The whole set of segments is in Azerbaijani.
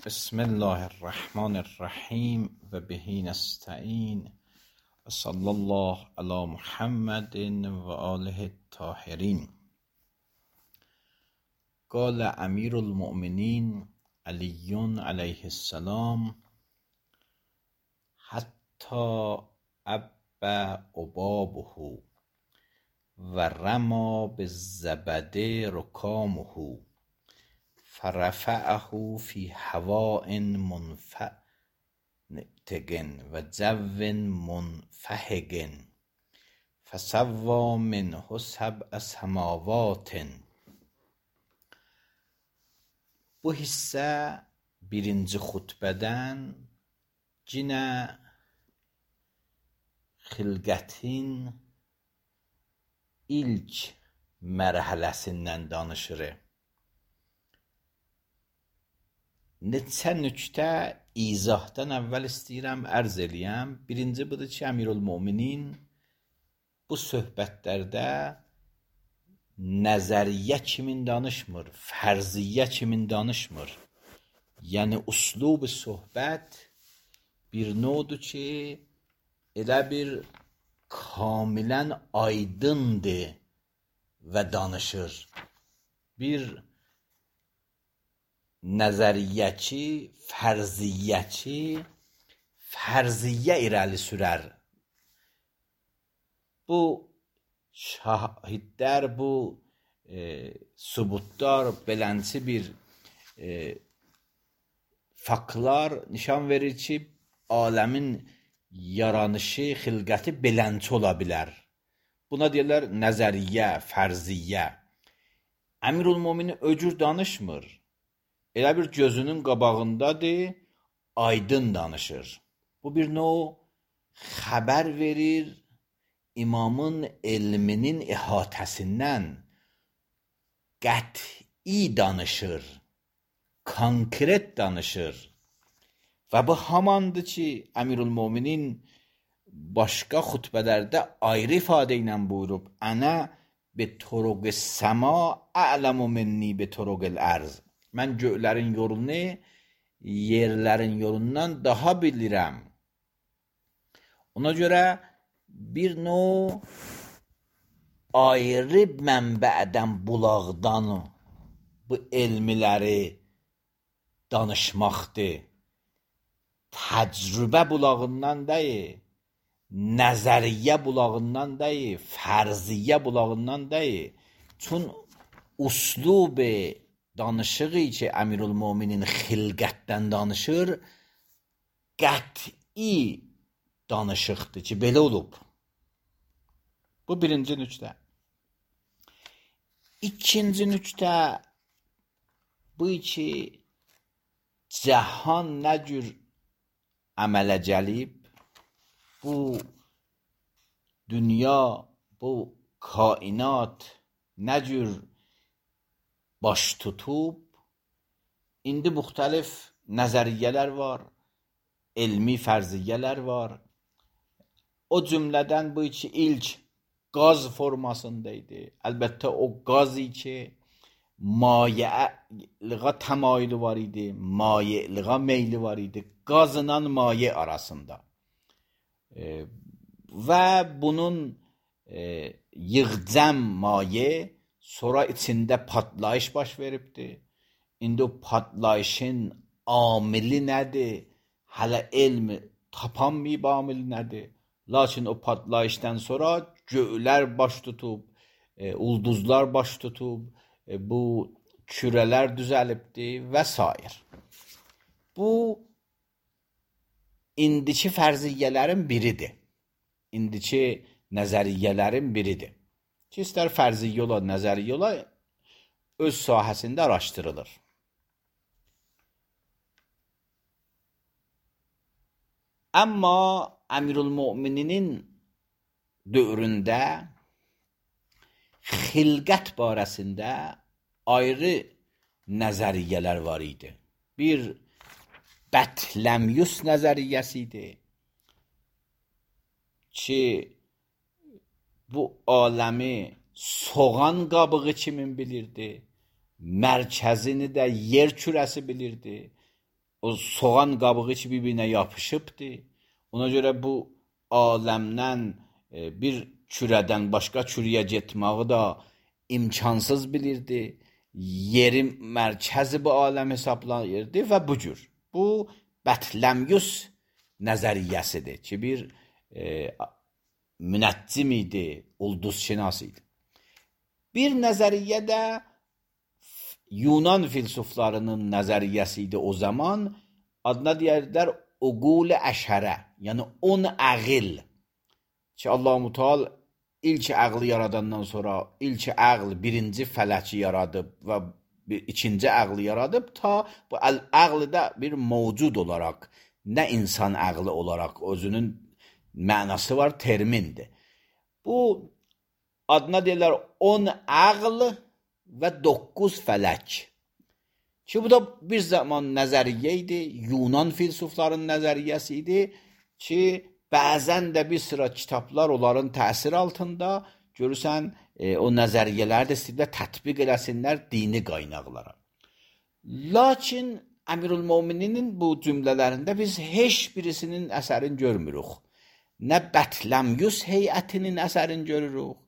بسم الله الرحمن الرحیم و به نستعین و صلی الله علی محمد و آله الطاهرین. قال امیر المؤمنین علی علیه السلام حتی ابى عبابه و رما بالزبد رکامه فرفعه فی هواء منفتگ و جو منفحگ فسوی منه سبع سماوات. Bu hissə birinci xutbədən yenə xilqətin ilk mərhələsindən danışır. Neçə nöqtə izahdan əvvəl istəyirəm ərz eləyəm. Birinci budur ki, Əmirülmöminin bu söhbətlərdə nəzəriyyə kimin danışmır, fərziyyə kimin danışmır. Yəni, üslub söhbət bir növdür ki, elə bir kamilən aydındır və danışır. Bir nəzəriyyəçi, fərziyyə irəli sürər. Bu şahidlər, bu sübutlar, belənçi bir faktlar nişan verir ki, aləmin yaranışı, xilqəti belənçi ola bilər. Buna deyirlər nəzəriyyə, fərziyyə. Əmirülmöminin öcür danışmır. Elə bir gözünün qabağındadır, aydın danışır. Bu bir növ xəbər verir imamın elminin ihatəsindən, qəti danışır, konkret danışır. Və bu hamandır ki, Əmirülmöminin başqa xutbələrdə ayrı ifadə ilə buyurub, Ənə bi turuq səma a'lamu minni bi turuqil ərz. Mən göylərin yolunu yerlərin yolundan daha bilirəm. Ona görə bir növ ayrı mənbədən, bulaqdan bu elmiləri danışmaqdır. Təcrübə bulağından deyil, nəzəriyyə bulağından deyil, fərziyyə bulağından deyil. Çün üslub danışığı ki, Əmirülmöminin xilqətdən danışır, qəti danışıqdır ki, belə olub. Bu birinci nöqtə. İkinci nöqtə bu ki, cəhan nə cür əmələ gəlib, bu dünya, bu kainat nə cür baş tutub, indi müxtəlif nəzəriyyələr var, elmi fərziyyələr var. O cümlədən bu ki, ilk qaz formasındaydı. Əlbəttə o qazı ki, maye'lığa təmayülü var idi, maye'lığa meyli var idi. Qazla maye arasında. Və bunun yığcam maye sonra içində patlayış baş veribdir. İndi o patlayışın amili nədir? Hələ elm tapanmayıb amili nədir? Lakin o patlayışdan sonra göylər baş tutub, ulduzlar baş tutub, bu kürələr düzəlibdir və s. Bu, indiki fərziyyələrin biridir. İndiki nəzəriyyələrin biridir. Ki, istər fərziyyə ola, nəzəriyyə ola, öz sahəsində araşdırılır. Amma Əmirülmöminin dövründə xilqət barəsində ayrı nəzəriyyələr var idi. Bir Bətləmyus nəzəriyyəsi idi ki, bu aləmi soğan qabığı kimin bilirdi? Mərkəzini də yer kürəsi bilirdi. o soğan qabığı ki bir-birinə yapışıbdır. Ona görə bu aləmdən bir kürədən başqa kürəyə getməyi da imkansız bilirdi. Yeri mərkəzi bu aləm hesablayırdı və bu cür. Bu Bətləmyus nəzəriyyəsidir ki, bir münəccim idi, ulduzşünas idi. Bir nəzəriyyə də Yunan filsuflarının nəzəriyyəsi idi o zaman. Adına deyərlər uqul-i əşərə, yəni 10 əql. Ki Allah-u Teala ilk əqli yaradandan sonra ilk əql birinci fələki yaradıb və ikinci əqli yaradıb ta bu əqli də bir mövcud olaraq, nə insan əqli olaraq özünün mənası var, termindir. Bu adına deyirlər 10 əql və 9 fələk. Ki bu da bir zaman nəzəriyyə idi, Yunan filsufların nəzəriyyəsi idi ki, bəzən də bir sıra kitablar onların təsir altında görürsən, o nəzəriyyələri də istəyirlər tətbiq eləsinlər dini qaynaqlara. Lakin Əmirülmömininin bu cümlələrində biz heç birisinin əsərini görmürük. Nə Bətləmyus heyətinin əsərini görürük,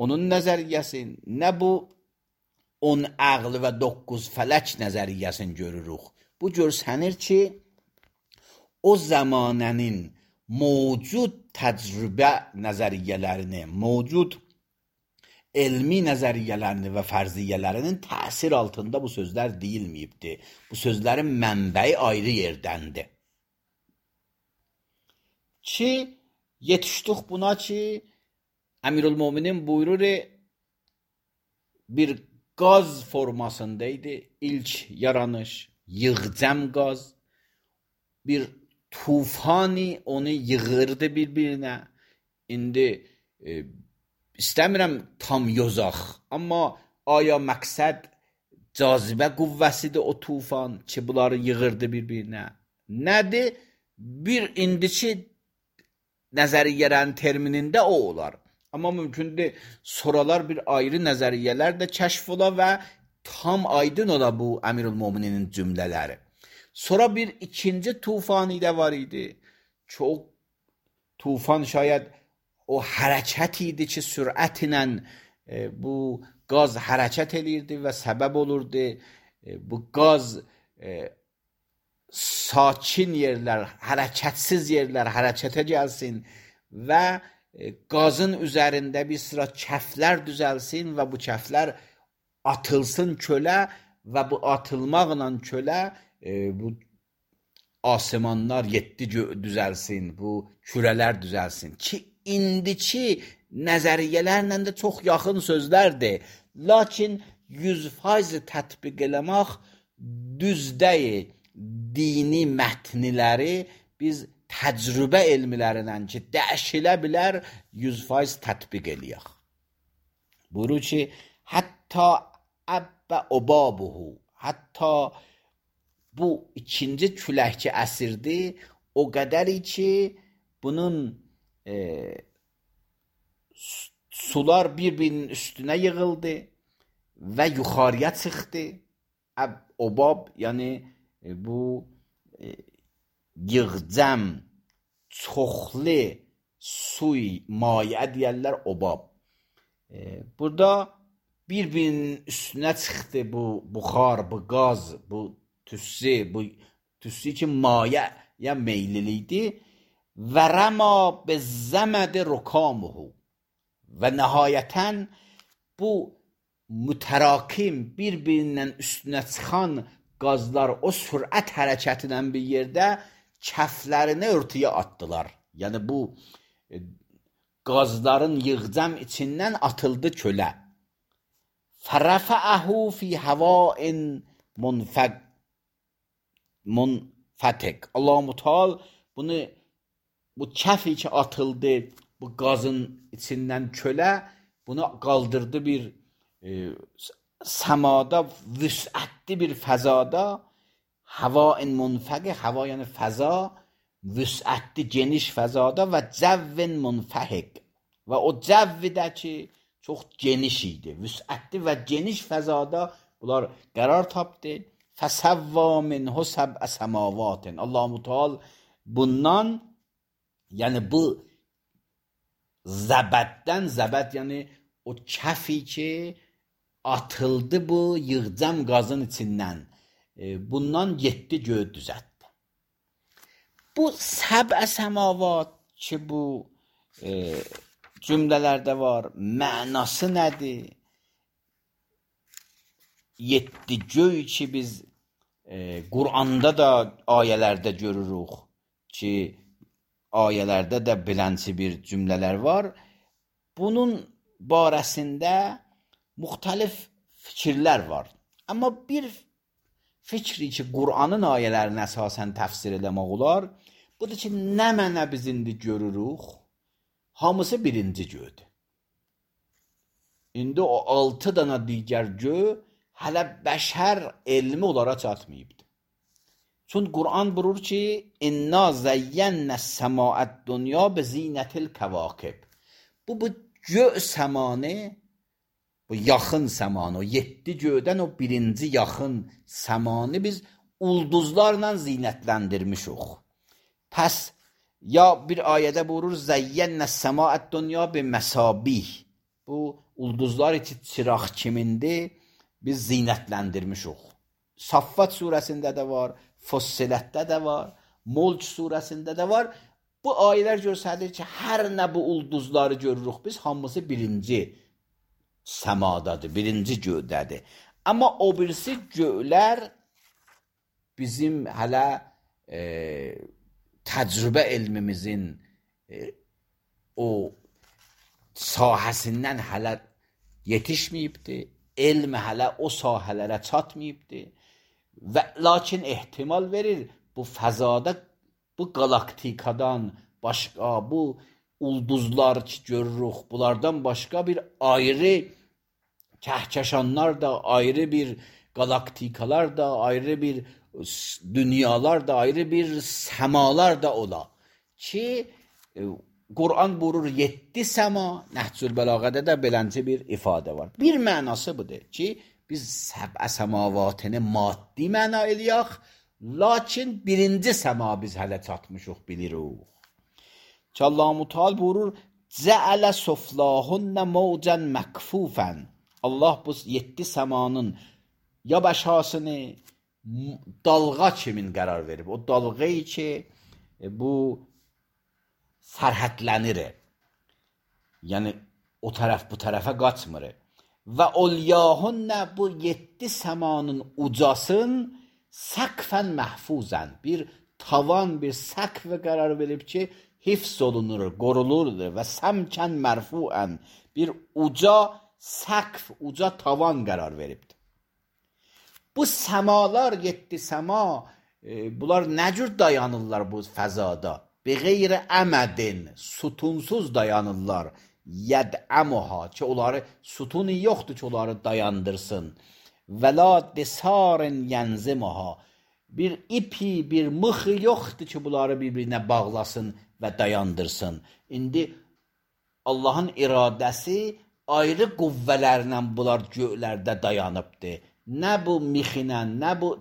onun nəzəriyyəsini, nə bu 10 əql və 9 fələk nəzəriyyəsini görürük. Bu görsənir ki, o zamanənin mövcud təcrübə nəzəriyyələrini, mövcud elmi nəzəriyyələrini və fərziyyələrinin təsir altında bu sözlər deyilməyibdir. Bu sözlərin mənbəyi ayrı yerdəndir. Ki, yetişdik buna ki, Əmirülmöminin buyurur, bir qaz formasındaydı ilk yaranış, yığcam qaz, bir tufani onu yığırdı bir-birinə. İndi istəmirəm tam yozaq, amma aya məqsəd cazibə qüvvəsidir o tufan ki, bunları yığırdı bir-birinə. Nədir? Bir indiki nəzəriyyələrin terminində o olar. Amma mümkündür sonralar bir ayrı nəzəriyyələr də kəşf ola və tam aydın ola bu Əmirülmömininin cümlələri. Sonra bir ikinci tufani də var idi. Çox tufan şayad o hərəkət idi ki, sürətlə bu qaz hərəkət eləyirdi və səbəb olurdu. Bu qaz sakin yerlər, hərəkətsiz yerlər hərəkətə gəlsin və qazın üzərində bir sıra kəflər düzəlsin və bu kəflər atılsın kölə və bu atılmaqla kölə bu asimanlar 7 düzəlsin, bu kürələr düzəlsin ki, indiki nəzəriyyələrlə də çox yaxın sözlərdir. Lakin 100% tətbiq eləmək düz deyil. Dini mətniləri biz təcrübə elmilərindən ki, dəyişilə bilər 100% tətbiq eləyək. Buyurur ki, hətta əbbə obabuhu, hətta bu ikinci külək ki əsirdi, o qədəri ki, bunun sular bir-birinin üstünə yığıldı və yuxarıya çıxdı. Obab, yəni bu yığcam, çoxlu suy, mayə deyərlər obab. Burada bir-birinin üstünə çıxdı bu buxar, bu qaz, bu tüssi ki mayəyə meyliliydi. Və rəma bezzəmədi rukamuhu və nəhayətən bu mütərakim bir-birinin üstünə çıxan qazlar o sürət hərəkətindən bir yerdə kəflərini örtüyə atdılar. Yəni bu qazların yığcam içindən atıldı kölə. Fərəfəəhu fi həvain munfətik. Allah-u Teala bunu bu kəfi ki atıldı bu qazın içindən kölə, bunu qaldırdı bir səmada, vüsətli bir fəzada, həvain munfəqi, həva yəni fəza, vüsətli geniş fəzada və cəvvin munfəhiq və o cəvvi də ki çox geniş idi, vüsətli və geniş fəzada bunlar qərar tapdı. فسوا منه سبع سماوات. Allah Teala bundan, yani bu zəbəddən, zəbəd yəni o kəfi ki atıldı bu yığcam qazın içindən, bundan 7 göy düzəltdi. Bu səbə səmavat ki bu cümlələrdə var, mənası nədir? 7 göy ki biz Quranda da ayələrdə görürük ki, ayələrdə də bilənçi bir cümlələr var. Bunun barəsində müxtəlif fikirlər var. Amma bir fikri ki, Qur'anın ayələrini əsasən təfsir eləmək olar, budur ki, nə mənə biz indi görürük, hamısı birinci göydür. İndi o 6 dana digər göy hələ bəşər elmi onlara çatmayıbdır. Çünki Qur'an buyurur ki, İnna zəyyənnəs səmaət dünya bi zinətil kəvakib. Bu göy səmanı, bu yaxın səmanı, o 7 göydən o birinci yaxın səmanı biz ulduzlarla zinətləndirmişik. Pəs ya bir ayədə buyurur, zəyyənnəs səmaət dünya bi məsabih. Bu ulduzlar için çıraq kimindir? Biz zinətləndirmişik. Saffat surəsində də var, Fussilətdə də var, Mulk surəsində də var. Bu ayələr göstərir ki, hər nə bu ulduzları görürük biz, hamısı birinci səmadadır, birinci göydədir. Amma o birisi göylər bizim hələ təcrübə elmimizin o sahəsindən hələ yetişməyibdir. Elm hələ o sahələrə çatmayıbdır və lakin ehtimal verir bu fəzada, bu qalaktikadan başqa, bu ulduzlar ki görürük, bunlardan başqa bir ayrı kəhkəşanlar da, ayrı bir qalaktikalar da, ayrı bir dünyalar da, ayrı bir səmalar da ola ki, Qur'an buyurur 7 səma, Nəhcül Bəlağədə də belənci bir ifadə var. Bir mənası budur ki, biz səbə səmavatını maddi məna eləyək, lakin birinci səma biz hələ çatmışıq, bilirik. Ki Allah-u Teala buyurur, Cəələ suflahunnə mavcən məkfufən. Allah bu 7 səmanın ya bəşasını dalğa kimin qərar verib. O dalğayı ki, bu sərhədlənir. Yəni, o tərəf bu tərəfə qaçmır. Və olyahunə bu 7 səmanın ucasın səqfən məhfuzən. Bir tavan, bir səqf qərar verib ki, hifz olunur, qorulurdur və səmkən mərfuən. Bir uca səqf, uca tavan qərar veribdir. Bu səmalar, 7 səma, bunlar nə cür dayanırlar bu fəzada? Beğeyri əmədin, sütunsuz dayanırlar. Yəd'əmuha, ki onları sütunu yoxdur ki onları dayandırsın. Və la desarin yənzimuha, bir ipi, bir mıxı yoxdur ki bunları bir-birinə bağlasın və dayandırsın. İndi Allahın iradəsi ayrı qüvvələrlə bunlar göylərdə dayanıbdır. Nə bu mixinə, nə bu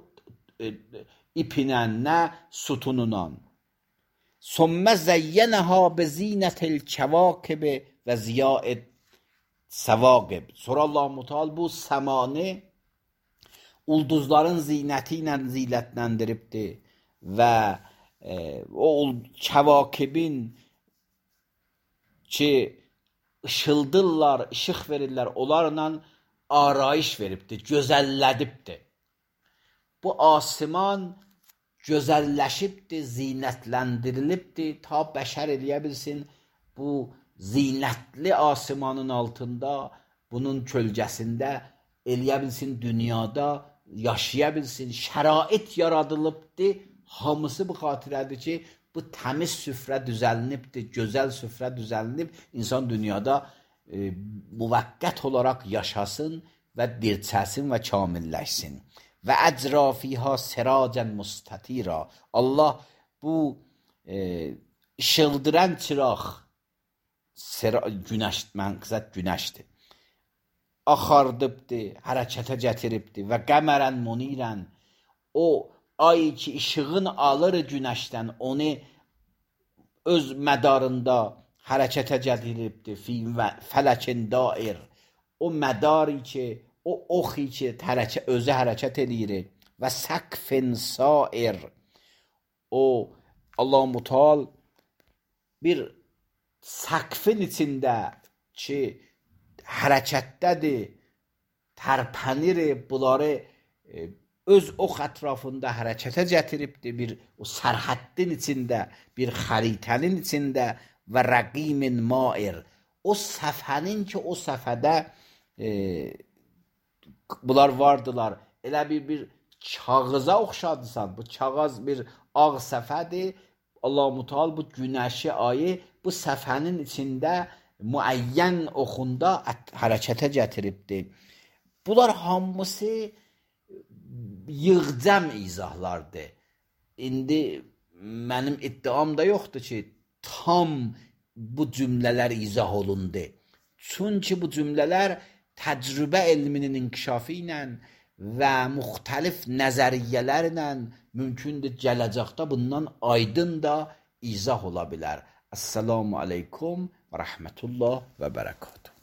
ipinə, nə sütununla. Sümmə zəyyənəhə bezinətil kəvakib və ziyaid səvaqib. Sonra Allah-u Teala bu səmanı ulduzların zinəti ilə zinətləndiribdir və o kəvakibin ki ışıldırlar, işıq verirlər, onlarla arayış veribdir, gözəllədibdir. Bu asiman gözəlləşibdir, zinətləndirilibdir, ta bəşər eləyə bilsin, bu zinətli asimanın altında, bunun kölgəsində eləyə bilsin, dünyada yaşaya bilsin, şərait yaradılıbdır, hamısı bu xatirədir ki, bu təmiz süfrə düzəlinibdir, gözəl süfrə düzəlinib, insan dünyada müvəqqət olaraq yaşasın və dirçəsin və kamilləşsin. Və əcrafihə siracən mustatira. Allah bu işıldıran çıraq, günəş, mənqizət günəşdir, axardıbdır, hərəkətə gətiribdir və qəmərən munirən, o ay ki işığın alır günəşdən, onu öz mədarında hərəkətə gətiribdir. Fi fələkin dair. O mədari ki, o oxi ki, özü hərəkət edir. Və səqfin sair. O Allah-u Müteal bir səqfin içində ki, hərəkətdədir, tərpənir, bunları öz ox ətrafında hərəkətə gətiribdir, bir o sərhəddin içində, bir xəritənin içində və rəqimin mair. O səfənin ki, o səfədə bunlar vardılar. Elə bir kağıza oxşadısan, bu kağız bir ağ səfədir. Allah-u Müteal bu günəşi, ayı bu səfənin içində müəyyən oxunda hərəkətə gətiribdir. Bunlar hamısı yığcam izahlardır. İndi mənim iddiam da yoxdur ki, tam bu cümlələr izah olundu. Çünki bu cümlələr təcrübə elminin inkişafı ilə və müxtəlif nəzəriyyələrlə mümkündür gələcəkdə bundan aydın da izah ola bilər. Esselamu aleykum və rəhmətullah və bərəkatuhu.